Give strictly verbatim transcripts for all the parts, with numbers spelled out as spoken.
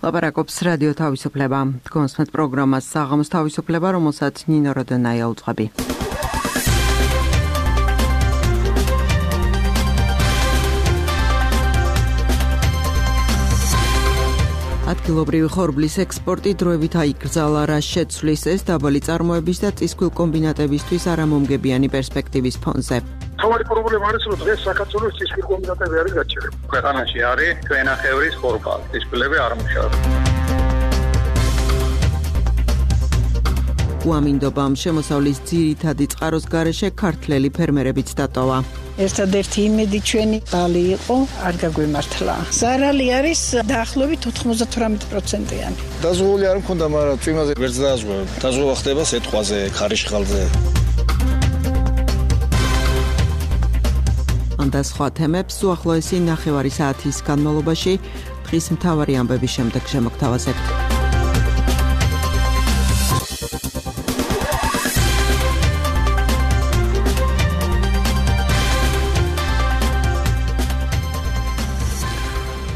ლაპარაკობს რადიო თავისუფლება. გონსმეთ პროგრამას საღამოს თავისუფლება, რომელსაც ნინო როდონაია უძღვები. ადგილობრივი ხორბლის ექსპორტი დროებით აიკრძალა, რა შეცვლის ეს დაბალი წარმოების და წისქვილ კომბინატებისთვის არამომგებიანი პერსპექტივის ფონზე. თავარი პრობლემა არის, რომ დღეს საქართველოს წისქვილ კომბინატები არის გაჩერებული. ქვეყანაში არის ქვენახევრის ხორბალი, წისქვილები არ მუშაობს. უამინდობამ შემოსავლის ძირითადი წყაროს გარეშე ქართველი ფერმერებიც დატოვა. ერთადერთი იმედი ჩვენი ბალი იყო, არ გაგვიმართლა. ზარალი არის დაახლოებით ოთხმოცდათვრამეტი პროცენტიანი. დაზღვეული არ მქონდა, მაგრამ წვიმაზე ვერც დააზღვევ. დაზღვევა ხდება სეტყვაზე, ქარიშხალზე. ამ და სხვა თემებს უახლოესი ნახევარი საათის განმავლობაში დღის მთავარი ამბების შემდეგ შემოგთავაზებთ.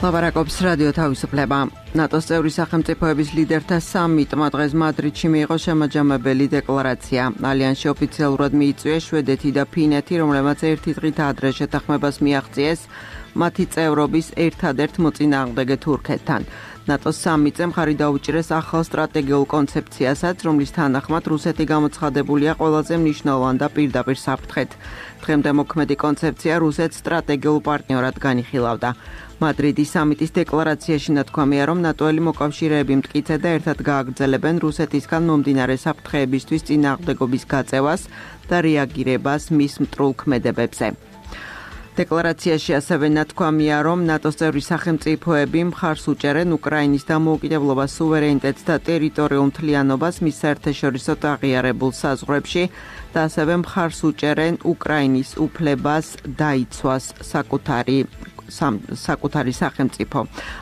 ლაპარაკობს რადიო თავისუფლება. ნატოს წევრი სახელმწიფოების ლიდერთა სამიტმა დღეს მადრიდში მიიღო შემაჯამებელი დეკლარაცია. ალიანსში ოფიციალურად მიიწვიეს შვედეთი და ფინეთი, რომლებმაც ერთი დღით ადრე შეთანხმებას მიაღწიეს მათი წევრობის ერთადერთ მოწინააღმდეგე თურქეთთან. ნატოს სამიტზე მხარი დაუჭირეს ახალ სტრატეგიულ კონცეფციასაც, რომლის თანახმად რუსეთი გამოცხადებულია ყველაზე მნიშვნელოვან და პირდაპირ საფრთხედ. დღემდე მოქმედი კონცეფცია რუსეთს სტრატეგიულ პარტნიორად განიხილავდა. მადრიდის სამიტის დეკლარაციაში ნათქვამია, რომ ნატოელი მოკავშირეები მტკიცედ და ერთად გააგრძელებენ რუსეთისგან მომდინარე საფრთხეებისთვის წინააღმდეგობის გაწევას და რეაგირებას მის მტრულ ქმედებებზე. დეკლარაციაში ასევე ნათქვამია, რომ ნატოს წევრი სახელმწიფოები მხარს უჭერენ უკრაინის დამოუკიდებლობას, სუვერენიტეტს და ტერიტორიულ მთლიანობას მის საერთაშორისო აღიარებულ საზღვრებში და ასევე მხარს უჭერენ უკრაინის უფლებას დაიცვას საკუთარი საკუთარი სახელმწიფო.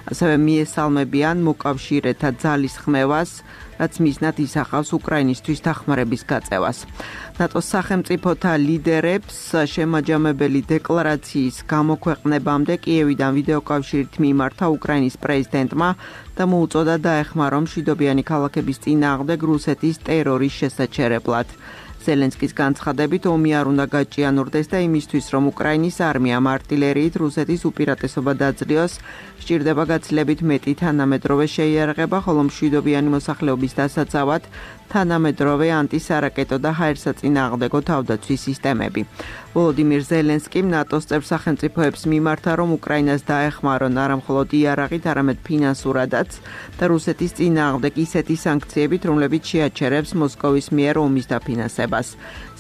ასევე მიესალმებიან მოკავშირეთა ძალისხმევას, რაც მიზნად ისახავს უკრაინისთვის დახმარების გაწევას. ნატოს სახელმწიფოთა ლიდერებს შემაჯამებელი დეკლარაციის გამოქვეყნებამდე კიევიდან ვიდეოკავშირით მიმართა უკრაინის პრეზიდენტმა და მოუწოდა დაეხმაროს მშვიდობიანი ქალაქების წინააღმდეგ რუსეთის ტერორის შესაჩერებლად. ზელენსკის განცხადებით ომი არ უნდა გაჭიანურდეს და იმისთვის, რომ უკრაინის არმიამ არტილერიით რუსეთის უპირატესობა დაძლიოს, სჭირდება გაცილებით მეტი თანამედროვე შეიარაღება, ხოლო მშვიდობიანი მოსახლეობის დასაცავად თანამედროვე ანტისარაკეტო და ჰაერსაწინააღმდეგო თავდაცვის სისტემები. ვოლოდიმირ ზელენსკიმ ნატოს წევრ სახელმწიფოებს მიმართა, რომ უკრაინას დაეხმარონ არა მხოლოდ იარაღით, არამედ ფინანსურადაც და რუსეთის წინააღმდეგ ისეთი სანქციებით, რომლებიც შეაჩერებს მოსკოვის მიერ ომის დაფინანსებას.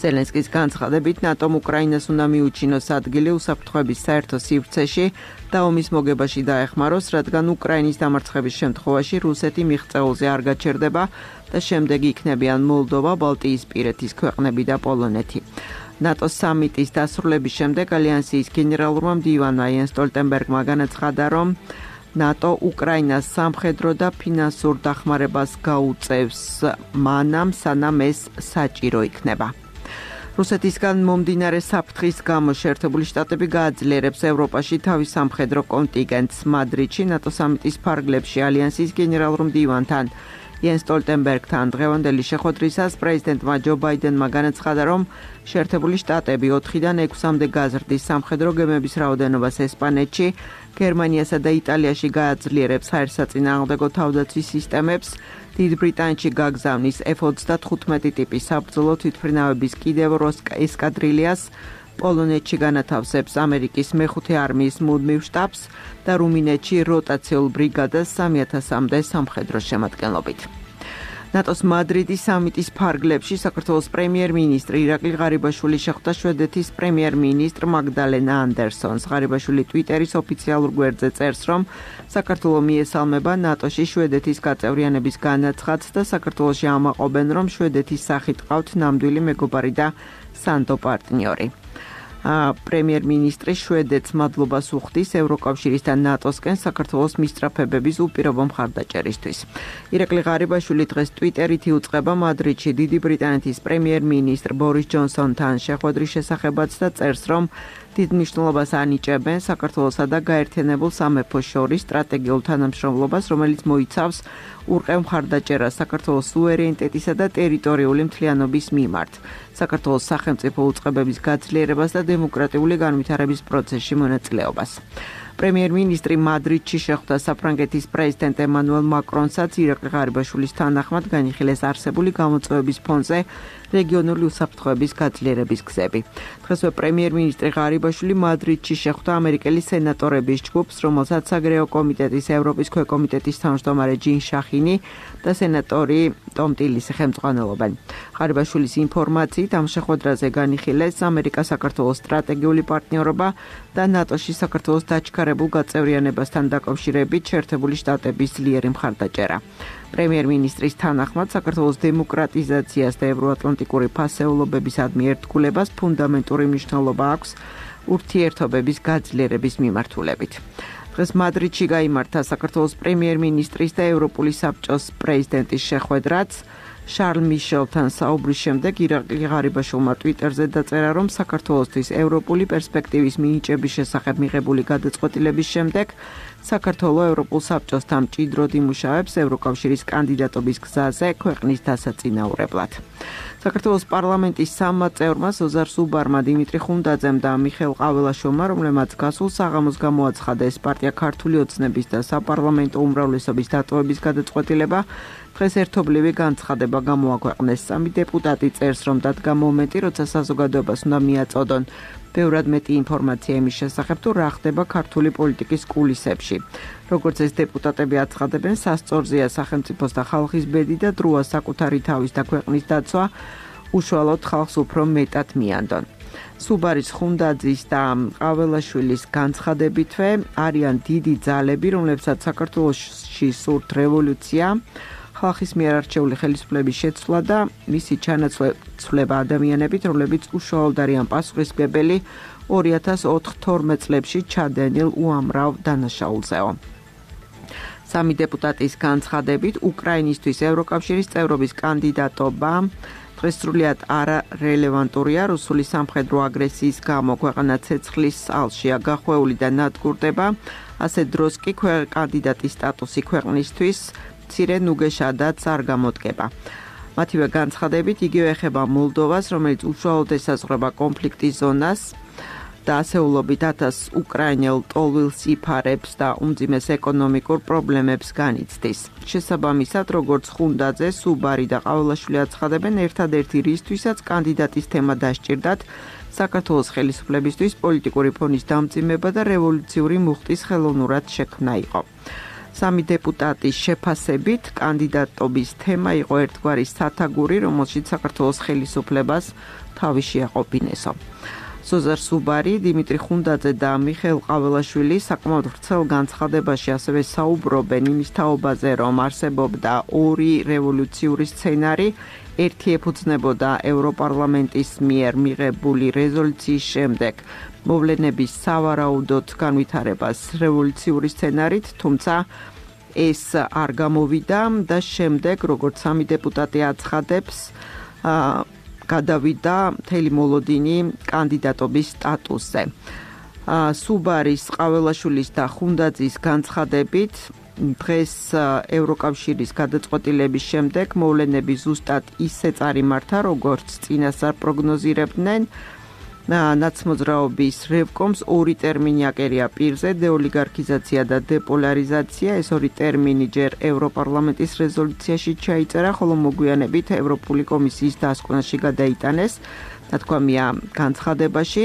ზელენსკის განცხადებით, ნატომ უკრაინას უნდა მიუჩინოს ადგილი უსაფრთხოების საერთო სივრცეში და ომის მოგებაში დაეხმაროს, რადგან უკრაინის დამარცხების შემთხვევაში რუსეთი მიღწეულზე არ გაჩერდება და შემდეგ იქნებიან მოლდოვა, ბალტიისპირეთის ქვეყნები და პოლონეთი. ნატოს სამიტის დასრულების შემდეგ ალიანსის გენერალურმა მდივანმა იენს სტოლტენბერგმა განაცხადა, რომ ნატო უკრაინას სამხედრო და ფინანსურ დახმარებას გაუწევს მანამ, სანამ ეს საჭირო იქნება. რუსეთისგან მომდინარე საფრთხის გამო შეერთებული შტატები გააძლიერებს ევროპაში თავის სამხედრო კონტინგენტს. მადრიდში ნატო სამიტის ფარგლებში ალიანსის გენერალურ მდივანთან იენს სტოლტენბერგთან დღევანდელი შეხვედრისას პრეზიდენტმა ჯო ბაიდენმა განაცხადა, რომ შეერთებული შტატები ოთხიდან ექვსამდე გაზრდის სამხედრო გემების რაოდენობას ესპანეთში, გერმანიასა და იტალიაში გააძლიერებს ჰაერსაწინააღმდეგო თავდაცვის სისტემებს, დიდ ბრიტანეთში გაგზავნის ეფ ოცდათხუთმეტი ტიპის საბრძოლო თვითმფრინავების კიდევ ორ ესკადრილიას, პოლონეთში განათავსებს ამერიკის მეხუთე არმიის მუდმივ შტაბს და რუმინეთში როტაციულ ბრიგადას სამი ათასამდე სამხედრო შემადგენლობით. ნატოს მადრიდის სამიტის ფარგლებში საქართველოს პრემიერ-მინისტრი ირაკლი ღარიბაშვილი შეხვდა შვედეთის პრემიერ-მინისტრ მაგდალენა ანდერსონს. ღარიბაშვილი ტვიტერის ოფიციალურ გვერდზე წერს, რომ საქართველო მიესალმება ნატოში შვედეთის გაწევრიანების განაცხადს და საქართველოში ამაყობენ, რომ შვედეთის სახით ყავთ ნამდვილი მეგობარი და სანდო პარტნიორი. პრემიერ-მინისტრი შვედეთს მადლობას უხდის ევროკავშირის და ნატოსკენ საქართველოს მისწრაფებების უპირობო მხარდაჭერისთვის. ირაკლი ღარიბაშვილი დღეს ტვიტერით იუწყება მადრიდში დიდი ბრიტანეთის პრემიერ-მინისტრ ბორის ჯონსონთან შეხვედრის შესახებაც და წერს, რომ დიდ მნიშვნელობას ანიჭებენ საქართველოსა და გაერთიანებულ სამეფოს შორის სტრატეგიულ თანამშრომლობას, რომელიც მოიცავს ურყევ მხარდაჭერას საქართველოს სუვერენიტეტისა და ტერიტორიული მთლიანობის მიმართ, საქართველოს სახელმწიფო უწყებების გაძლიერებას და დემოკრატიული განვითარების პროცესში მონაწილეობას. პრემიერ-მინისტრი მადრიდში შეხვდა საფრანგეთის პრეზიდენტ ემანუელ მაკრონსაც ირაკლი ღარიბაშვილის თანახმად განიხილეს არსებული გამოწვევების ფონზე რეგიონული უსაფრთხოების გაძლიერების გზები. დღესვე პრემიერ-მინისტრი ღარიბაშვილი მადრიდში შეხვდა ამერიკელი სენატორების ჯგუფს, რომელსაც საგარეო კომიტეტის ევროპის ქვეკომიტეტის თავმჯდომარე ჯინ შახინი და სენატორი ტომ ტილისი ხელმძღვანელობენ. ღარიბაშვილის ინფორმაციით ამ შეხვედრაზე განიხილეს ამერიკა-საქართველოს სტრატეგიული პარტნიორობა და ნატოში საქართველოს დაჩქარებულ გაწევრიანებასთან დაკავშირებით შეერთებული შტატების ძლიერი მხარდაჭერა. პრემიერ-მინისტრის თანახმად საქართველოს დემოკრატიზაციას და ევროატლანტიკური ფასეულობებისადმი ერთგულებას ფუნდამენტური მნიშვნელობა აქვს ურთიერთობების გაძლიერების მიმართულებით. დღეს მადრიდში გაიმართა საქართველოს პრემიერ-მინისტრის და ევროპული საბჭოს პრეზიდენტის შეხვედრაც. შარლ მიშელთან საუბრის შემდეგ ირაკლი ღარიბაშვილმა ტვიტერზე დაწერა, რომ საქართველოსთვის ევროპული პერსპექტივის მინიჭების შესახებ მიღებული გადაწყვეტილების შემდეგ საქართველოს ევროპულ საბჭოსთან მჭიდროდ იმუშავებს ევროკავშირის კანდიდატობის გზაზე ქვეყნის დასაწინაურებლად. საქართველოს პარლამენტის სამმა წევრმა ზოზარ სუბარმა, დიმიტრი ხუნდაძემ და მიხეილ ყაველაშვილმა, რომლებმაც გასულ საღამოს გამოაცხადეს პარტია ქართული ოცნების და საპარლამენტო უმრავლესობის დატოვების გადაწყვეტილება, დღეს ერთობლივი განცხადება გამოაქვეყნეს. სამი დეპუტატი წერს, რომ დადგა მომენტი, როცა საზოგადოებას უნდა მიაწოდონ ბევრად მეტი ინფორმაცია იმის შესახებ, თუ რა ხდება ქართული პოლიტიკის კულისებში. როგორც ეს დეპუტატები აცხადებენ, სასწორზეა სახელმწიფოს და ხალხის ბედი და დროა საკუთარი თავის და ქვეყნის დაცვა უშუალოდ ხალხს უფრო მეტად მიანდონ. სუბარის, ხუნდაძის და ყაველაშვილის განცხადებითვე არიან დიდი ძალები, რომლებსაც საქართველოში სურთ რევოლუცია, ხალხის მიერ არჩეული ხელისუფლების შეცვლა და მისი ჩანაცვლება ადამიანებით, რომლებიც უშუალოდ არიან პასუხისმგებელი ორი ათას თორმეტ წლებში ჩადენილ უამრავ დანაშაულზეო. სამი დეპუტატის განცხადებით, უკრაინისთვის ევროკავშირის წევრობის კანდიდატობა დღეს სრულიად არარელევანტურია. რუსული სამხედრო აგრესიის გამო ქვეყანა ცეცხლის ალშია გახვეული და ნადგურდება. ასე დროს კი კანდიდატის სტატუსი ქვეყნისთვის მცირე ნუგეშადაც არ გამოდგება. მათივე განცხადებით იგივე ეხება მოლდოვას, რომელიც უშუალოდ ესაზღვრება კონფლიქტის ზონას და ასეულობით ათას უკრაინელ ტოლვილს იფარებს და უმძიმეს ეკონომიკურ პრობლემებს განიცდის. შესაბამისად, როგორც ხუნდაძე, სუბარი და ყაველაშვილი აცხადებენ, ერთადერთი რისთვისაც კანდიდატის თემა დასჭირდათ საქართველოს ხელისუფლებისთვის პოლიტიკური ფონის დამძიმება და რევოლუციური მუხტის ხელოვნურად შექმნა იყო. სამი დეპუტატის შეფასებით კანდიდატობის თემა იყო ერთგვარი სათაგური, რომელშიც საქართველოს ხელისუფლებას თავი შეაყოფინესო. ზოზარ სუბარი, დიმიტრი ხუნდაძე და მიხეილ ყაველაშვილი საკმაოდ ვრცელ განცხადებაში ასევე საუბრობენ იმის თაობაზე, რომ არსებობდა ორი რევოლუციური სცენარი, ერთი ეფუძნებოდა ევროპარლამენტის მიერ მიღებული რეზოლუციის შემდეგ მოვლენების სავარაუდოდ განვითარებას რევოლუციური სცენარით, თუმცა ეს არ გამოვიდა და შემდეგ, როგორც სამი დეპუტატი აცხადებს, გადავიდა მთელი მოლოდინი კანდიდატობის სტატუსზე. სუბარის, ყაველაშვილის და ხუნდაძის განცხადებით, დღეს ევროკავშირის გადაწყვეტილების შემდეგ მოვლენები ზუსტად ისე წარიმართა, როგორც წინასწარ პროგნოზირებდნენ. ნაცმოძრაობის რევკომს ორი ტერმინი აკერია პირზე, დეოლიგარქიზაცია და დეპოლარიზაცია. ეს ორი ტერმინი ჯერ ევროპარლამენტის რეზოლუციაში ჩაიწერა, ხოლო მოგვიანებით ევროპული კომისიის დასკვნაში გადაიტანეს, ნათქვამია განცხადებაში.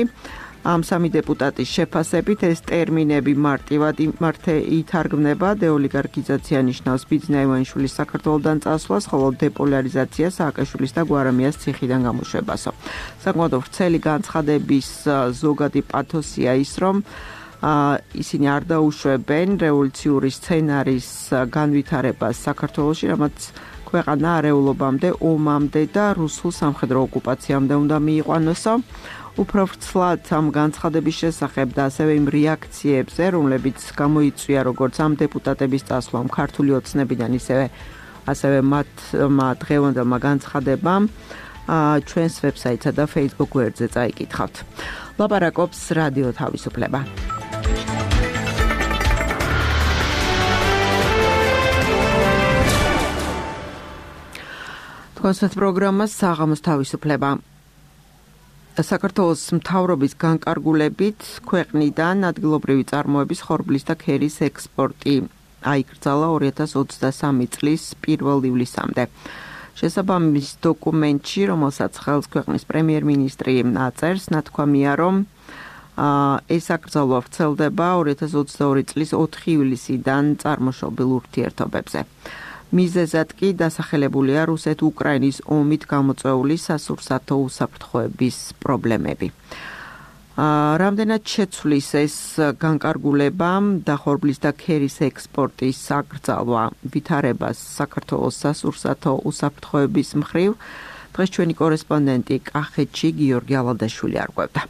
ამ სამი დეპუტატის შეფასებით ეს ტერმინები მარტივად მართე ითარგმნება. დეოლიგარქიზაცია ნიშნავს ბიძინა ივანიშვილის საქართველოდან წასვლას, ხოლო დეპოლარიზაცია სააკაშვილის და გვარამიას ციხიდან გამოშვებასო. საკმაოდ ვრცელი განცხადების ზოგადი პათოსია ის, რომ ისინი არ დაუშვებენ რევოლუციური სცენარის განვითარებას საქართველოში, რამაც ქვეყანა არეულობამდე, ომამდე და რუსულ სამხედრო ოკუპაციამდე უნდა მიიყვანოსო. უფრო ვრცლად ამ განცხადების შესახებ და ასევე იმ რეაქციებზე, რომლებიც გამოიწვია როგორც ამ დეპუტატების წასვლამ ქართული ოცნებიდან, ისევე ასევე მათ დღევანდელმა განცხადებამ, ჩვენს ვებსაიტსა და Facebook გვერდზე წაიკითხავთ. ლაპარაკობს რადიო თავისუფლება. თქვენს პროგრამას საღამოს თავისუფლება. საქართველოს მთავრობის განკარგულებით ქვეყნიდან ადგილობრივი წარმოების ხორბლის და ქერის ექსპორტი აიკრძალა ორი ათას ოცდასამი წლის პირველ ივლისამდე. შესაბამის დოკუმენტში, რომელსაც ხელს ქვეყნის პრემიერ-მინისტრი აწერს, ნათქვამია, რომ ეს აკრძალვა ვრცელდება ორი ათას ოცდაორი წლის ოთხი ივლისიდან წარმოშობილ ურთიერთობებზე. მიზეზად კი დასახელებულია რუსეთ-უკრაინის ომით გამოწვეული სასურსათო უსაფრთხოების პრობლემები. რამდენად შეცვლის ეს განკარგულება და ხორბლის და ქერის ექსპორტის აკრძალვა ვითარებას საქართველოს სასურსათო უსაფრთხოების მხრივ, დღეს ჩვენი კორესპონდენტი კახეთში გიორგი ალადაშვილი არკვევდა.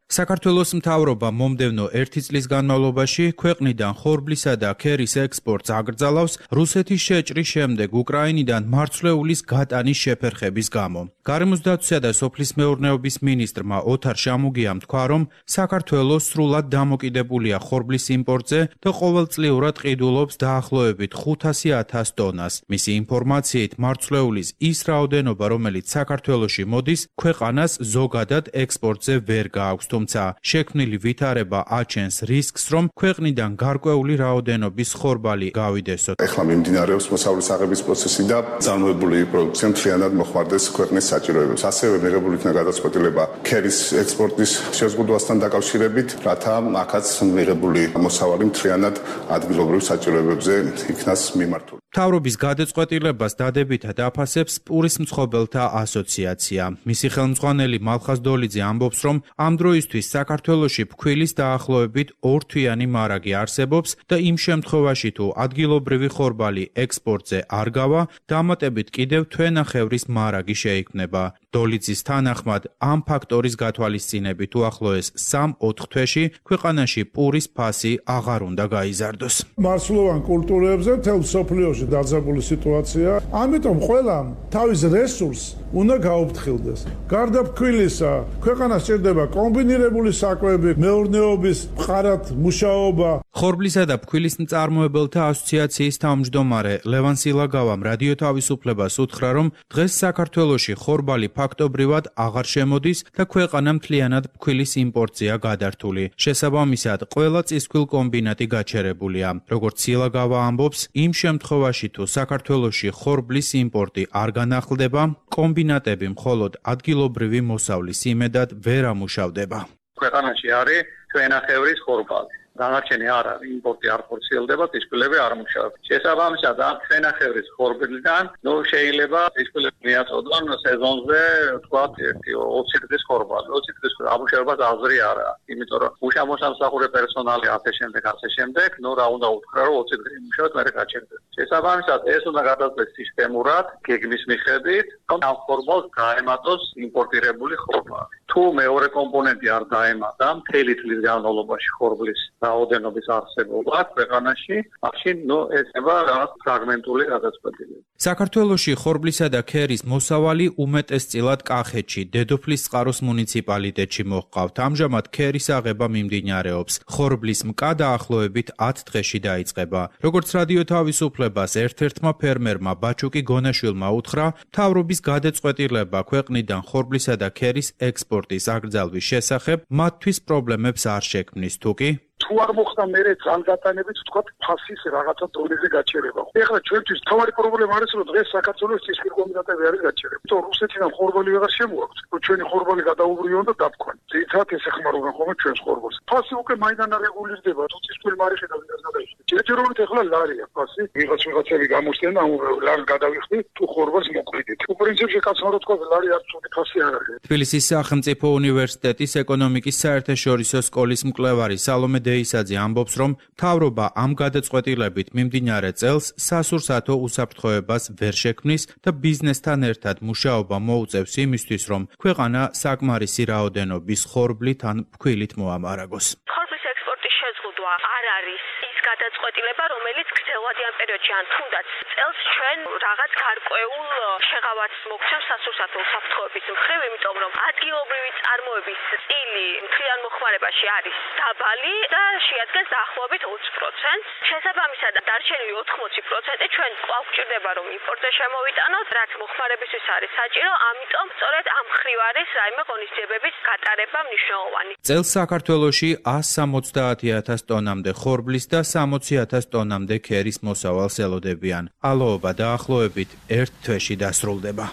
საქართველოს მთავრობა მომდევნო ერთი წლის განმავლობაში ქვეყნიდან ხორბლისა და ქერის ექსპორტს აკრძალავს რუსეთის შეჭრის შემდეგ უკრაინიდან მარცვლეულის გატანის შეფერხების გამო. გარემოს დაცვისა და სოფლის მეურნეობის მინისტრმა ოთარ შამუგიამ თქვა, რომ საქართველო სრულად დამოკიდებულია ხორბლის იმპორტზე და ყოველწლიურად ყიდულობს დაახლოებით ხუთასი ათას ტონას. მისი ინფორმაციით, მარცვლეულის ის რაოდენობა, რომელიც საქართველოში მოდის, ქვეყანას ზოგადად ექსპორტზე ვერ გააქვს. თუმცა შექმნილი ვითარება აჩენს რისკს, რომ ქვეყნიდან გარკვეული რაოდენობის ხორბალი გავიდესოთ. ეხლა მიმდინარეობს მოსავლის აღების პროცესი და წარმოებული პროდუქცია მთლიანად მოხმარდეს ქვეყნის საჭიროებებს. ასევე მიღებული იქნა გადაწყვეტილება ქერის ექსპორტის შეზღუდვასთან დაკავშირებით, რათა აქაც მიღებული მოსავალი მთლიანად ადგილობრივ საჭიროებებზე იქნას მიმართული. მთავრობის გადაწყვეტილებას დადებითად აფასებს პურის მცხოვრებელთა ასოციაცია. მისი ხელმძღვანელი მალხაზ დოლიძე ამბობს, რომ ამ დროისთვის საქართველოში ფქვილის დაახლოებით ორთვიანი მარაგი არსებობს და იმ შემთხვევაში თუ ადგილობრივი ხორბალი ექსპორტზე არ გავა, დამატებით კიდევ თვენახევრის მარაგი შეიქმნება. დოლიძის თანახმად, ამ ფაქტორის გათვალისწინებით უახლოეს სამ-ოთხ თვეში ქვეყანაში პურის ფასი აღარ უნდა გაიზარდოს. მარცვლოვან კულტურებზე მთელ მსოფლიოში დაძაბული სიტუაცია, ამიტომ ყველამ თავის რესურსს უნდა გაუფრთხილდეს. გარდა ფქვილისა, ქვეყანას სჭირდება კომბინირებული საკვები, მეურნეობის მყარად მუშაობა. ხორბლისა და ფქვილის მწარმოებელთა ასოციაციის თავმჯდომარე ლევან სილაგავამ რადიო თავისუფლებას უთხრა, რომ დღეს საქართველოში ხორბალი ფაქტობრივად აღარ შემოდის და ქვეყანა მთლიანად ფქვილის იმპორტზეა გადართული. შესაბამისად, ყველა წისქვილ კომბინატი გაჩერებულია. როგორც სილაგავა ამბობს, იმ შემთხვევაში თუ საქართველოში ხორბლის იმპორტი არ განახლდება, კომბინატები მხოლოდ ადგილობრივი მოსავლის იმედად ვერ ამუშავდება. ქვეყანაში არის თვენახევრის ხორბალი. დანარჩენი არ არის, იმპორტი არ ხორციელდება, წისქვილები არ მუშაობენ. შესაბამისად, ამ თვენახევრის ხორბლიდან, ნუ შეიძლება წისქვილები მიაწოდონ სეზონზე, თქვათ, ერთი ოცი დღის ხორბალი. ოცი დღის ამუშავებას აზრი არ აქვს, იმიტომ რომ უშამოსამსახურე პერსონალი ასე შემდეგ, ასე შემდეგ, ნუ რა უნდა უთხრა, რომ ოცი დღე იმუშავოთ, მერე გაჩერდეს. შესაბამისად, ეს უნდა გადაწყვეტს სისტემურად, გეგმის მიხედვით, რომ ამ ხორბალს გაემატოს იმპორტირებული ხორბალი. თუ მეორე კომპონენტი არ დაემატა, მთელი წლის განმავლობაში ხორბლის რაოდენობის არსებობა ქვეყანაში, მაშინ ნუ ეცემა რაღაც ფრაგმენტული გადაწყვეტილება. საქართველოში ხორბლისა და ქერის მოსავალი უმეტესწილად კახეთში, დედოფლისწყაროს მუნიციპალიტეტში მოჰყავთ. ამჟამად ქერის აღება მიმდინარეობს. ხორბლის მკა დაახლოებით ათ დღეში დაიწყება. როგორც რადიო თავისუფლებას ერთ-ერთმა ფერმერმა ბაჩუკი გონაშვილმა უთხრა, მთავრობის გადაწყვეტილება ქვეყნიდან ხორბლისა და ქერის ექსპორტის აკრძალვის შესახებ მათთვის პრობლემებს არ შექმნის, თუკი თუ არ მოხდა მერე ძალგატანებით თქვა ფასის რაღაცა დონეზე გაჩერება. ეხლა ჩვენთვის თავარი პრობლემა არის, რომ დღეს საქართველოს წისქვილ კომბინატები არის გაჩერება. თუმცა რუსეთიდან ხორბალი ვეღარ შემოაქვს. ჩვენი ხორბალი გადაუბრიონ და დაფქვან. ძირითადად ეს ეხმარებიან ხოლმე ჩვენს ხორბალს. ფასი უკვე მაინდან არეგულირდება, თუ წისქვილ მარიხი და ვიღაც გადაიხდი. ჯერჯერობით ეხლა ლარია ფასი. ვიღაც ვიღაცები გამოსწენ და ლარ გადავიხდი, თუ ხორბალს მოყიდით. უპრინციპში კაცმა რა თქვა, ლარი არ ცუდი ფასი არ არის. თბილისის სახელმწიფო უნივერსიტეტის ეკონომიკის საერთაშორისო სკოლის მკვლევარი სალომე დეისაძე ამბობს, რომ მთავრობა ამ გადაწყვეტილებით მიმდინარე წელს სასურსათო უსაფრთხოებას ვერ შექმნის და ბიზნესთან ერთად მუშაობა მოუწევს იმისთვის, რომ ქვეყანა საკმარისი რაოდენობის ხორბლით ან ფქვილით მოამარაგოს. ხორბლის ექსპორტის შეზღუდვა არ არის ის გადაწყვეტილება, რომელიც გრძელვადიან პერიოდში ან თუნდაც წელს ჩვენ რაღაც გარკვეულ შეღავათს მოგცემს სასურსათო უსაფრთხოების მხრივ, იმიტომ რომ ადგილობრივი წარმოების წილი მთლიან მოხმარებაში არის დაბალი და შეადგენს დაახლოებით ოცი პროცენტს. შესაბამისად, დარჩენილი ოთხმოცი პროცენტი ჩვენ კვლავ გვჭირდება რომ იმპორტზე შემოვიტანოთ, რაც მოხმარებისთვის არის საჭირო, ამიტომ სწორედ ამ მხრივ არის რაიმე ღონისძიებების გატარება მნიშვნელოვანი. წელს საქართველოში ას სამოცდაათი ათას ტონამდე ხორბლის და სამოცი ათას ტონამდე ქერის მოსავალს ელოდებიან. ალოობა დაახლოებით ერთ თვეში დასრულდება.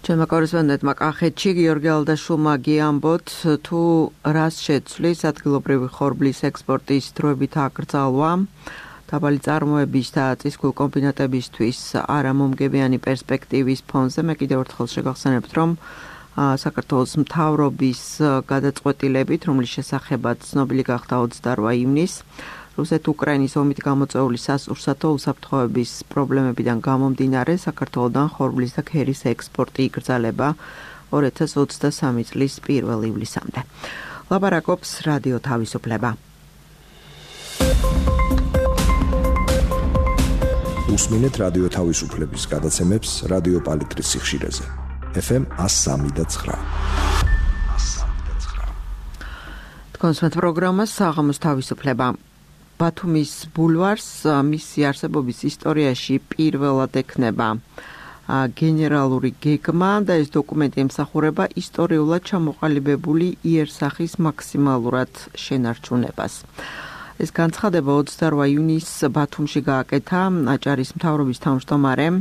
ჩვენმა კორესპონდენტმა კახეთში გიორგი ალდაშულმა გიამბოთ, თუ რას შეცვლის ადგილობრივი ხორბლის ექსპორტის დროებით აკრძალვა, დაბალი წარმოების და წისქვილ კომბინატებისთვის არამომგებიანი პერსპექტივის ფონზე. მე კიდევ ერთხელ შეგახსენებთ, რომ საქართველოს მთავრობის გადაწყვეტილებით, რომლის შესახებაც ცნობილი გახდა ოცდაოთხ ივნისს, რუსეთ-უკრაინის ომით გამოწვეული სასურსათო უსაფრთხოების პრობლემებიდან გამომდინარე, საქართველოდან ხორბლის და ქერის ექსპორტი იკრძალება ორი ათას ოცდასამი წლის პირველ ივლისამდე. ლაპარაკობს რადიო თავისუფლება. უსმინეთ რადიო თავისუფლების გადაცემებს რადიო პალიტრის სიხშირეზე. ეფ ემ ას სამი და ცხრა. თქვენს პროგრამას საღამოს თავისუფლება. ბათუმის ბულვარს მისი არსებობის ისტორიაში პირველად ექნება გენერალური გეგმა და ეს დოკუმენტი ემსახურება ისტორიულად ჩამოყალიბებული იერსახის მაქსიმალურად შენარჩუნებას. ეს განცხადება ოცდაოთხ ივნისს ბათუმში გააკეთა აჭარის მთავრობის თავმჯდომარემ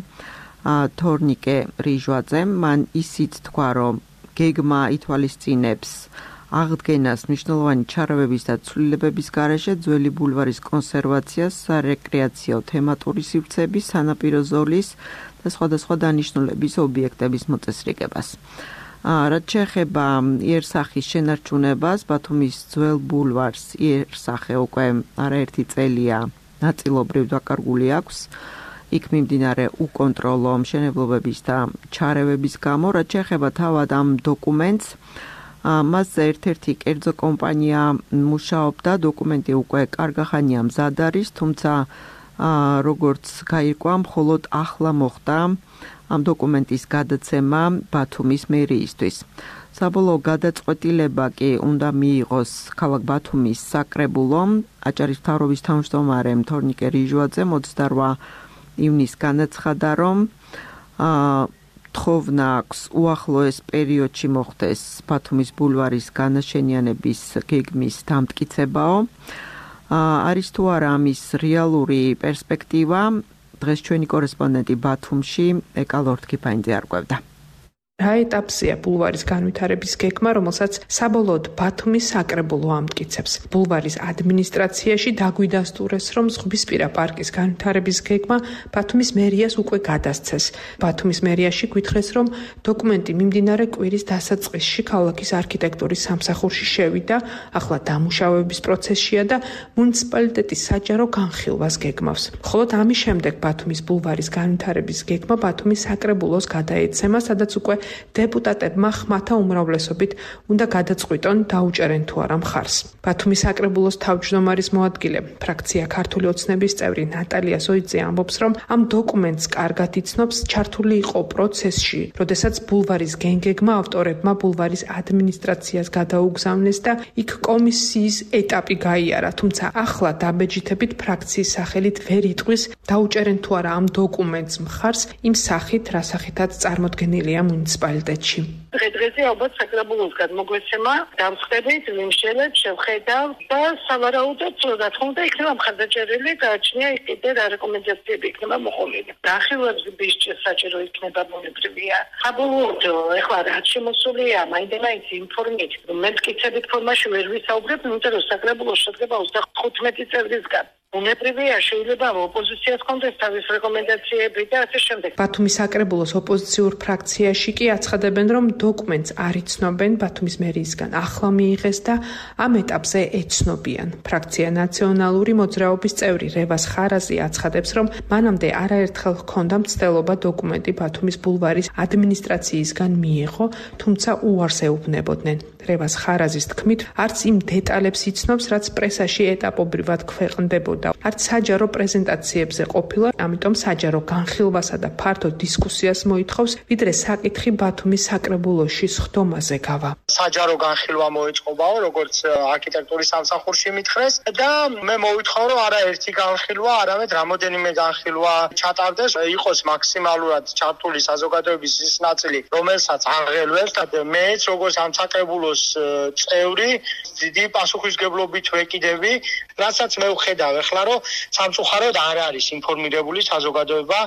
თორნიკე რიჟვაძემ. მან ისიც თქვა, რომ გეგმა ითვალისწინებს აღდგენას მნიშვნელოვანი ჩარევების და ცვლილებების გარეშე ძველი ბულვარის კონსერვაციას, სარეკრეაციო თემატური სივრცეების, სანაპირო ზოლის და სხვადასხვა დანიშნულების ობიექტების მოწესრიგებას. რაც შეეხება იერსახის შენარჩუნებას, ბათუმის ძველ ბულვარს იერსახე უკვე არაერთი წელია ნაწილობრივ დაკარგული აქვს. იქ მიმდინარე უკონტროლო მშენებლობების და ჩარევების გამო, რაც შეეხება თავად ამ დოკუმენტს, მასზე ერთ-ერთი კერძო კომპანია მუშაობდა, დოკუმენტი უკვე კარგახანია მზად არის, თუმცა როგორც გაირკვა, მხოლოდ ახლა მოხდა ამ დოკუმენტის გადაცემა ბათუმის მერიისთვის. საბოლოო გადაწყვეტილება კი უნდა მიიღოს ქალაქ ბათუმის საკრებულომ. აჭარის მთავრობის თავმჯდომარემ თორნიკე რიჟვაძემ ოცდაოთხ ივნისს განაცხადა, რომ თხოვნა აქვს უახლოეს პერიოდში მოხდეს ბათუმის ბულვარის განაშენიანების გეგმის დამტკიცებაო. არის თუ არა ამის რეალური პერსპექტივა, დღეს ჩვენი კორესპონდენტი ბათუმში ეკა ლორთქიფაინძე არკვევდა. რა ეტაპზეა ბულვარის განვითარების გეგმა, რომელსაც საბოლოოდ ბათუმის საკრებულო ამტკიცებს. ბულვარის ადმინისტრაციაში დაგვიდასტურეს, რომ ზღვისპირა პარკის განვითარების გეგმა ბათუმის მერიას უკვე გადასცეს. ბათუმის მერიაში გვითხრეს, რომ დოკუმენტი მიმდინარე კვირის დასაწყისში ქალაქის არქიტექტურის სამსახურში შევიდა, ახლა დამუშავების პროცესშია და მუნიციპალიტეტის საჯარო განხილვას გეგმავს. მხოლოდ ამის შემდეგ ბათუმის ბულვარის განვითარების გეგმა ბათუმის საკრებულოს გადაეცემა, სადაც უკვე დეპუტატებმა ხმათა უმრავლესობით უნდა გადაწყვიტონ დაუჭერენ თუ არა მხარს. ბათუმის საკრებულოს თავმჯდომარის მოადგილე, ფრაქცია ქართული ოცნების წევრი ნატალია ზოიძე ამბობს, რომ ამ დოკუმენტს კარგად იცნობს, ჩართული იყო პროცესში, როდესაც ბულვარის გენგეგმა ავტორებმა ბულვარის ადმინისტრაციას გადაუგზავნეს და იქ კომისიის ეტაპი გაიარა, თუმცა ახლა დაბეჯითებით ფრაქციის სახელით ვერ იტყვის დაუჭერენ თუ არა ამ დოკუმენტს მხარს იმ სახით, რა სახითაც წარმოდგენილია მუნიციპალიტეტში. დღე-დღეზე ალბათ საკრებულოს გადმოგვეცემა დამხდებით, ვიმშელებ, შევხედავ და სავარაუდოდ რა თქმა უნდა იქნება მხარდაჭერილი, გააჩნია იქ კიდე რა რეკომენდაციები იქნება მოყოლილი. განხილვების საჭირო იქნება მონებრივია. საბოლოოდ ეხლა რაც შემოსულია, მაინდა-მაინც ინფორმით, მე მტკიცებით ფორმაში ვერ ვისაუბრებ, იმიტომ რომ საკრებულო შედგება ოცდახუთმეტი წევრისგან. უნებრივია შეიძლება ოპოზიციას კონდეს თავის რეკომენდაციები და ასე შემდეგ. ბათუმის საკრებულოს ოპოზიციურ ფრაქციაში კი აცხადებენ, რომ დოკუმენტს არ იცნობენ, ბათუმის მერიისგან ახლა მიიღეს და ამ ეტაპზე ეცნობიან. ფრაქცია ნაციონალური მოძრაობის წევრი რევას ხარაზი აცხადებს, რომ მანამდე არაერთხელ ჰქონდა მცდელობა დოკუმენტი ბათუმის ბულვარის ადმინისტრაციისგან მიიღო, თუმცა უარს ეუბნებოდნენ. რევას ხარაზის თქმით, არც იმ დეტალებს იცნობს, რაც პრესაში ეტაპობრივად ქვეყნდებოდა. არც საჯარო პრეზენტაციებზე ყოფილა, ამიტომ საჯარო განხილვასა და ფართო დისკუსიას მოითხოვს, ვიდრე საკითხი ბათუმის საკრებულოში სხდომაზე გავა. საჯარო განხილვა მოეწყობაო, როგორც არქიტექტურის სამსახურში მითხრეს და მე მოვითხოვ, რომ არა ერთი განხილვა, არამედ რამოდენიმე განხილვა ჩატარდეს, იყოს მაქსიმალურად ჩართული საზოგადოების ის ნაწილი, რომელსაც აღელვებს და მეც როგორც ამ საკრებულოს წევრი დიდი პასუხისმგებლობით ვეკიდები, რასაც მე ვხედავ ახლა, რომ სამწუხაროდ არ არის ინფორმირებული საზოგადოება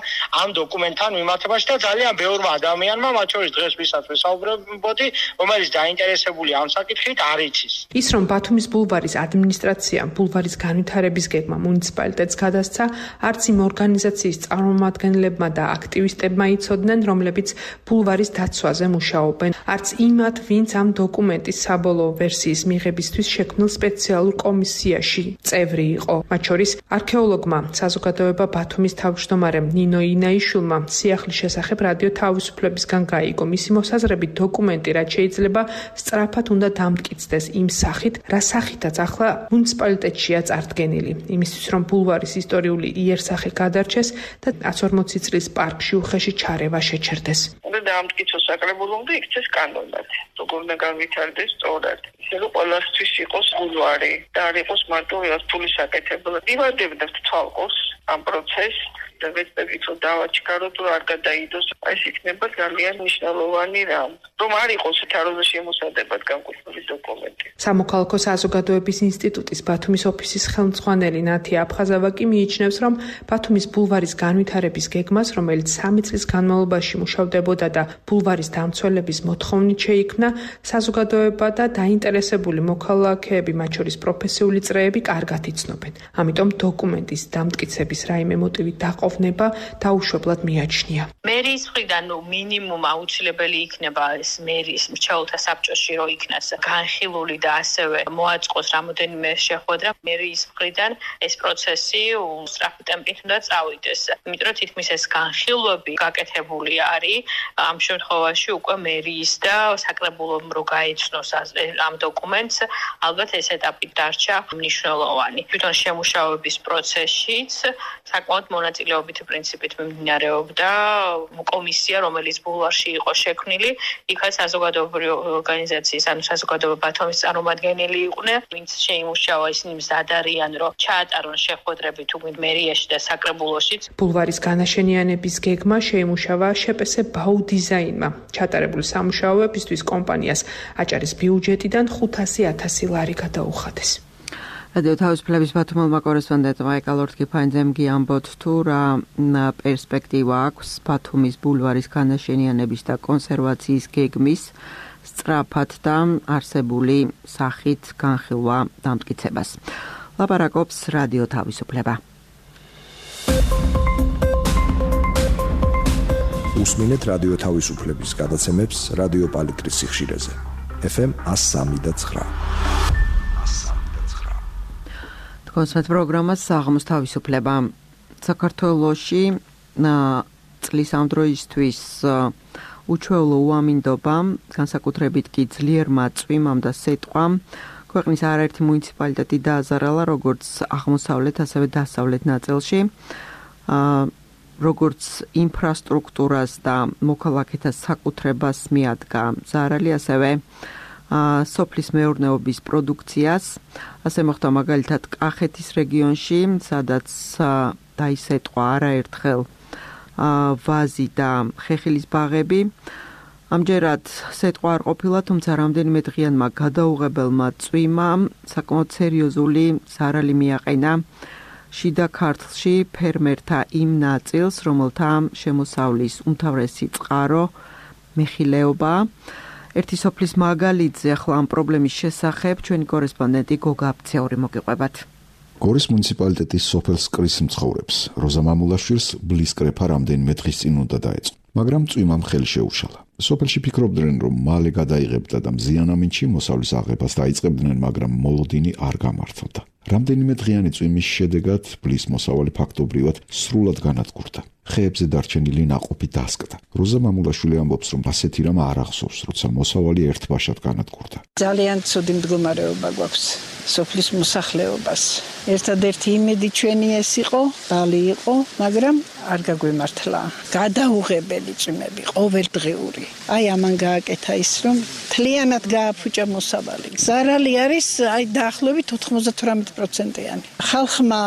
ამ დოკუმენტთან მიმართებაში და ძალიან ბევრმა ადამიანმა, მათ შორის დღეს ვისაც ვესაუბრებოდი, რომელიც დაინტერესებული ამ საკითხით არ იცის. ის რომ ბათუმის ბულვარის ადმინისტრაციამ ბულვარის განვითარების გეგმა მუნიციპალიტეტს გადასცა, არც იმ ორგანიზაციის წარმომადგენლებმა და აქტივისტებმა იცოდნენ, რომლებიც ბულვარის დაცვაზე მუშაობენ, არც იმათ, ვინც ამ დოკუმენტის საბოლოო ვერსიის მიღებისთვის შექმნილ სპეციალურ კომისიაში წევრი იყო. მათ შორის არქეოლოგმა, საზოგადოება ბათუმის თავმჯდომარემ ნინო ინაიშვილმა სიახლის შესახებ რადიო თავისუფლებისგან გაიგო. მისი მოსაზრებით დოკუმენტი, რაც შეიძლება სწრაფად უნდა დამტკიცდეს იმ სახით, რა სახითაც ახლა მუნიციპალიტეტშია წარდგენილი. იმისთვის, რომ ბულვარის ისტორიული იერსახე გადარჩეს და ათს ორმოცი წლის პარკში უხეში ჩარევა შეჩერდეს. უნდა დაამტკიცოს საკრებულო და იქცეს კანონად. როგორ უნდა განვითარდეს სწორად. ისე რომ ყველასთვის იყოს ბულვარი და არ იყოს მარტო რასტული საკეთებო. დივარდებდათ თვალყოს ამ პროცესს და ვეცდებით რომ დავაჩქაროთ, რომ არ გადაიდოს. ეს იქნება ძალიან მნიშვნელოვანი რამ. რომ არ იყოს თაროზე შემოსადებად განკუთვნილი დოკუმენტი. სამოქალაქო საზოგადოების ინსტიტუტის ბათუმის ოფისის ხელმძღვანელი ნათია აფხაზავაკი მიიჩნევს, რომ ბათუმის ბულვარის განვითარების გეგმას, რომელიც სამი წლის განმავლობაში მუშავდებოდა და ბულვარის დამცველების მოთხოვნით შეიქმნა, საზოგადოება და დაინტერესებული მოქალაქეები, მათ შორის პროფესიული წრეები, კარგად იცნობენ. ამიტომ დოკუმენტის დამტკიცების რაიმე მოტივი დაყოვნება დაუშვებლად მიაჩნია. მერიის მხრიდან ნუ მინიმუმ აუცილებელი იქნება ეს მერიის მრჩეველთა საბჭოში რო იქნას განხილული და ასევე მოაწყოს რამოდენიმე შეხვედრა. მერიის მხრიდან ეს პროცესი უსწრაფი ტემპით უნდა წავიდეს. იმიტომ რომ თითქმის ეს განხილვები გაკეთებული არის ამ შემთხვევაში უკვე მერიის და საკრებულომ რო გაეცნოს ამ დოკუმენტს, ალბათ ეს ეტაპი დარჩა მნიშვნელოვანი. თვითონ შემუშავების პროცესშიც საკმაოდ მონაწილეობითი პრინციპით მიმდინარეობდა კომისია, რომელიც ბულვარში იყო შექმნილი, იქაც საზოგადოებრივი ორგანიზაციის, ანუ საზოგადოება ბათუმის წარმომადგენელი იყვნენ, ვინც შეიმუშავა, ისინი მზად არიან, რომ ჩაატარონ შეხვედრები თუ მერიაში და საკრებულოშიც. ბულვარის განაშენიანების გეგმა შეიმუშავა შეპესე ბაუ დიზაინმა. ჩატარებული სამუშაოებისთვის კომპანიას აჭარის ბიუჯეტიდან ხუთასი ათასი ლარი გადაუხადეს. რადიო თავისუფლების ბათუმელმა კორესპონდენტმა ეკალორთ კიფაინძემ გიამბოთ თუ რა პერსპექტივა აქვს ბათუმის ბულვარის განაშენიანების და კონსერვაციის გეგმის სწრაფად და არსებული სახით განხილვა დამტკიცებას. ლაპარაკობს რადიო თავისუფლება. უსმინეთ რადიო თავისუფლების გადაცემებს რადიო პალიტრის სიხშირეზე. ეფ ემ ათს სამი და ცხრა. კონსერტ პროგრამას საღამოს თავისუფლება. საქართველოში წლის ამ დროისთვის უჩვეულო უამინდობამ, განსაკუთრებით კი ძლიერმა წვიმამ და სეტყვამ ქვეყნის არაერთი მუნიციპალიტეტი დააზარალა, როგორც აღმოსავლეთ, ასევე დასავლეთ ნაწილში. როგორც ინფრასტრუქტურას და მოქალაქეთა საკუთრებას მიადგა ზარალი, ასევე სოფლის მეურნეობის პროდუქციას. ასე მოხდა მაგალითად კახეთის რეგიონში, სადაც დაისეტყვა არაერთხელ ვაზი და ხეხილის ბაღები. ამჯერად სეტყვა არ ყოფილა, თუმცა რამდენიმე დღიანმა გადაუღებელმა წვიმამ საკმაოდ სერიოზული ზარალი მიაყენა შიდა ქართლში ფერმერთა იმ ნაწილს, რომელთა შემოსავლის უმთავრესი წყარო მეხილეობა. ერთი სოფლის მაგალითზე ახლა ამ პრობლემის შესახებ ჩვენი კორესპონდენტი გოგა აფცეური მოგიყვებათ. გორის მუნიციპალიტეტის სოფელ სკრის მცხოვრებს როზა მამულაშვილს ბლის კრეფა რამდენიმე დღის წინ უნდა დაეწყო, მაგრამ წვიმამ ხელი შეუშალა. სოფელში ფიქრობდნენ, რომ მალე გადაიღებდა და მზიანამინჩი მოსავლის აღებას დაიწყებდნენ, მაგრამ მოლოდინი არ გამართლდა. რამდენიმე დღიანი წვიმის შედეგად ბლის მოსავალი ფაქტობრივად სრულად განადგურდა. ხეებზე დარჩენილი ნაყოფი დასკდა. როზა მამულაშვილი ამბობს, რომ ასეთი რამ არ ახსოვს, როცა მოსავალი ერთბაშად განადგურდა. ძალიან ცუდი მდგომარეობა გვაქვს სოფლის მოსახლეობას. ერთადერთი იმედი ჩვენი ეს იყო, ბალი იყო, მაგრამ არ გაგვემართლა. გადაუღებელი წვიმები, ყოველდღიური. აი ამან გააკეთა ის, რომ მთლიანად გააფუჭა მოსავალი. ზარალი არის აი დაახლოებით ოთხმოცდათვრამეტი პროცენტიანი. ხალხმა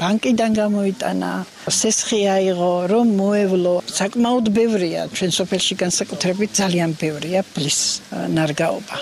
ბანკიდან გამოიტანა, სესხი აიღო, რომ მოევლო. საკმაოდ ბევრია ჩვენ სოფელში განსაკუთრებით ძალიან ბევრია ბლის ნარგაობა.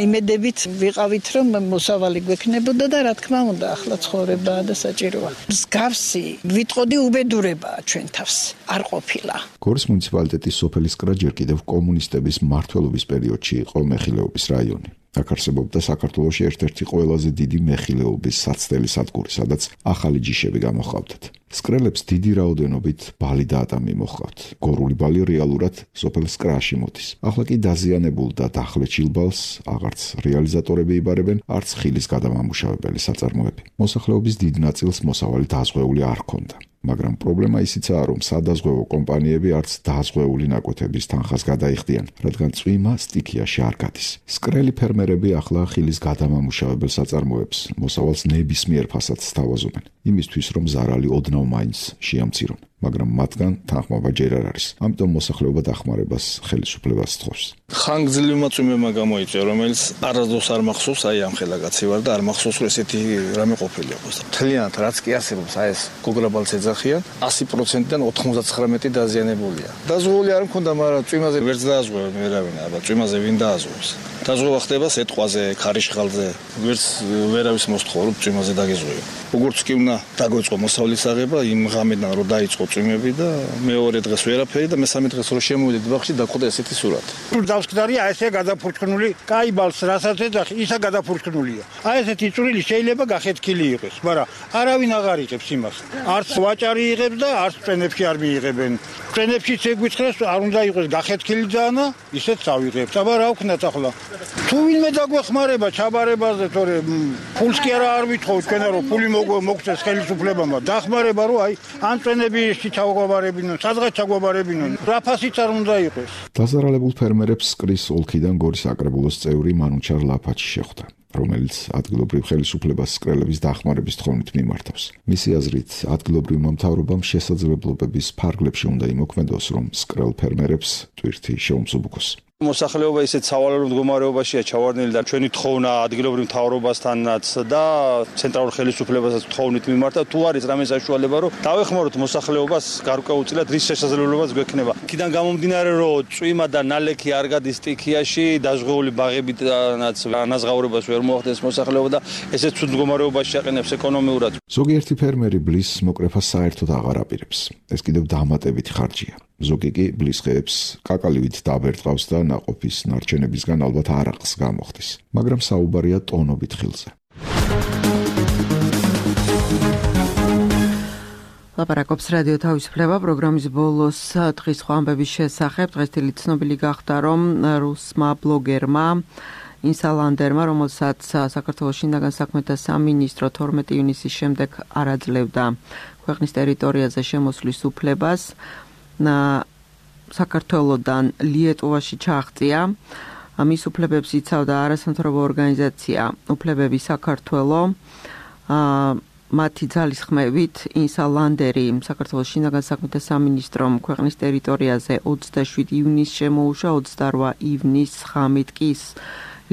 იმედებით ვიყავით, რომ მოსავალი გვექნებოდა და რა თქმა უნდა, ახლა ცხოვრებაა და საჭიროა. მსგავსი ვიტყოდი უბედურებაა ჩვენ თავს. არ ყოფილა. გორის მუნიციპალიტეტის სოფელის კრა ჯერ კიდევ კომუნისტების მმართველობის პერიოდში იყო მეხილეობის რაიონი. აქ არსებობდა საქართველოში ერთ-ერთი ყველაზე დიდი მეხილეობის საცდელი სადგური, სადაც ახალი ჯიშები გამოჰყავდათ. სკრელებს დიდი რაოდენობით ბალი და ატამი მოჰყავთ. გორული ბალი რეალურად სოფელ სკრაში მოდის. ახლა კი დაზიანებულ და დახლეჩილ ბალს აღარც რეალიზატორები იბარებენ, არც ხილის გადამამუშავებელი საწარმოები. მოსახლეობის დიდ ნაწილს მოსავალი დაზღვეული არ ჰქონდა. მაგრამ პრობლემა ისიცაა, რომ სადაზღვევო კომპანიები არც დაზღვეული ნაკვეთების თანხას გადაიხდიან, რადგან წვიმა სტიქიაში არ გადის. სკრელი ფერმერები ახლა ხილის გადამამუშავებელ საწარმოებს მოსავალს ნებისმიერ ფასადს სთავაზობენ, იმისთვის რომ ზარალი ოდნავ მაინც შეამცირონ. მაგრამ მათგან თანხმობა ჯერ არ არის. ამიტომ მოსახლეობა დახმარებას ხელისუფლებას სთხოვს. ხანგრძლივმა წვიმებმა გამოიწვია, რომელიც არასდროს არ მახსოვს, აი ამ ხელაგაცი ვარ და არ მახსოვს, რომ ესეთი რამე ყოფილი აქვს. მთლიანად რაც კი არსებობს, აი ეს გოგრაბალს ეძახიან, ასი პროცენტიდან ოთხმოცდათხრამეტი დაზიანებულია. დაზღვეული არ მქონდა, მაგრამ წვიმაზე ვერც დააზღვევენ ვერავინ, აბა წვიმაზე ვინ დააზღვევს. დაზღვევა ხდება სეტყვაზე, ქარიშხალზე, ვერც ვერავის მოსთხოვ, რომ წვიმაზე დაგეზღვიო. როგორც კი უნდა დაგვეწყო მოსავლის აღება, იმ ღამედან რომ დაიწყო წვიმები და მეორე დღეს ვერაფერი და მესამე დღეს რომ შემოვიდეთ ბაღში დაგვხვდა ესეთი სურათი. დავსკდარია ესე გადაფურჩქნული, კაი ბალს რასაც ეძახი, ისა გადაფურჩქნულია. აი ესეთი წვრილი შეიძლება გახეთქილი იყოს, მაგრამ არავინ აღარ იღებს იმას. არც ვაჭარი იღებს და არც წვენებში არ მიიღებენ. წვენებშიც ეგვიცხრეს, არ უნდა იყოს გახეთქილი ძანა, ისეც ავიღებთ. აბა რა ვქნათ ახლა? თუ ვინმე დაგვეხმარება ჩაბარებაზე, თორე ფულს კი არა არ ვითხოვ თქვენა რომ ფული მოგწეს ხელისუფლებამ, დახმარება რომ აი ან წვენებში ჩაგვაბარებინონ, სადღაც ჩაგვაბარებინონ. რა ფასიც არ უნდა იყოს. დაზარალებულ ფერმერებს სკრის ოლქიდან გორის საკრებულოს წევრი მანუჩარ ლაფაჩი შეხვდა, რომელიც ადგილობრივ ხელისუფლებას სკრელების დახმარების თხოვნით მიმართავს. მისი აზრით, ადგილობრივმა მთავრობამ შესაძლებლობების ფარგლებში უნდა იმოქმედოს, რომ სკრელ ფერმერებს ტვირთი შეუმსუბუქოს. მოსახლეობა ისეთ სავალალო მდგომარეობაშია ჩავარდნილი და ჩვენი თხოვნა ადგილობრივ მთავრობასთანაც და ცენტრალურ ხელისუფლებასაც თხოვნით მიმართა, თუ არის რამე საშუალება, რომ დავეხმაროთ მოსახლეობას გარკვეულწილად რის შესაძლებლობაც გვექნება. იქიდან გამომდინარე, რომ წვიმა და ნალექი არ გადის სტიქიაში, დაზღვეული ბაღებიდანაც ანაზღაურებას ვერ მოახდენს მოსახლეობა და ესეც ცუდ მდგომარეობაში აყენებს ეკონომიურად. ზოგიერთი ფერმერი ბლის მოკრეფას საერთოდ აღარ აპირებს. ეს კიდევ დამატებითი ხარჯია. ზოგი კი ბლის ხეებს კაკალივით დაბერტყავს და ნაყოფის ნარჩენებისგან ალბათ არაყს გამოხდის, მაგრამ საუბარია ტონობით ხილზე. ლაპარაკობს რადიო თავისუფლება პროგრამის ბოლოს დღის სხვა ამბების შესახებ. დღესდღეობით ცნობილი გახდა, რომ რუსმა ბლოგერმა ინსალანდერმა, რომელსაც საქართველოს შინაგან საქმეთა სამინისტრო თორმეტი ივნისის შემდეგ არ აძლევდა ქვეყნის ტერიტორიაზე შემოსვლის უფლებას, საქართველოდან ლიეტუვაში ჩააღწია. მის უფლებებს იცავდა არასამთავრობო ორგანიზაცია უფლებები საქართველო. მათი ძალისხმევით ინსალანდერი საქართველოს შინაგან საქმეთა სამინისტრომ ქვეყნის ტერიტორიაზე ოცდაშვიდი ივნისს შემოუშვა, ოცდაორ ივნისს ღამით კი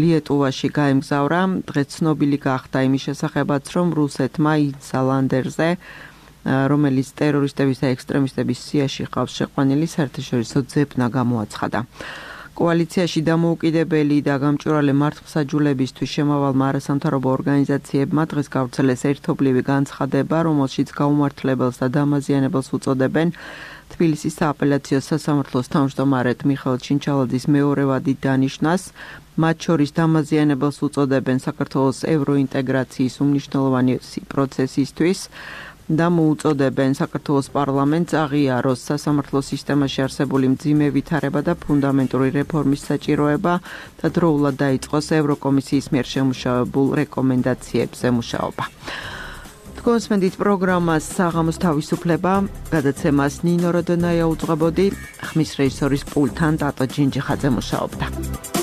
ლიეტუვაში გაემგზავრა. დღეს ცნობილი გახდა იმის შესახებაც, რომ რუსეთმა ინსალანდერზე, რომელიც ტერორისტების და ექსტრემისტების სიაში ყავს შეყვანილი, საერთაშორისო ძებნა გამოაცხადა. კოალიციაში დამოუკიდებელი და გამჭვირვალე მართლმსაჯულებისთვის შემავალმა არასამთავრობო ორგანიზაციებმა დღეს გავრცელეს ერთობლივი განცხადება, რომელშიც გაუმართლებელს და დამაზიანებელს უწოდებენ თბილისის სააპელაციო სასამართლოს თავმჯდომარედ მიხეილ ჩინჩალაძის მეორე ვადით დანიშნას. მათ შორის დამაზიანებელს უწოდებენ საქართველოს ევროინტეგრაციის უმნიშვნელოვანესი პროცესისთვის და მოუწოდებენ საქართველოს პარლამენტს აღიაროს სასამართლო სისტემაში არსებული მძიმე ვითარება და ფუნდამენტური რეფორმის საჭიროება და დროულად დაიწყოს ევროკომისიის მიერ შემუშავებულ რეკომენდაციებზე მუშაობა. კონსმენდით პროგრამას საღამოს თავისუფლება, გადაცემას ნინო როდონაია უძღვებოდი, ხმის რეჟისორის პულტთან ტატო ჯინჯიხაძე მუშაობდა.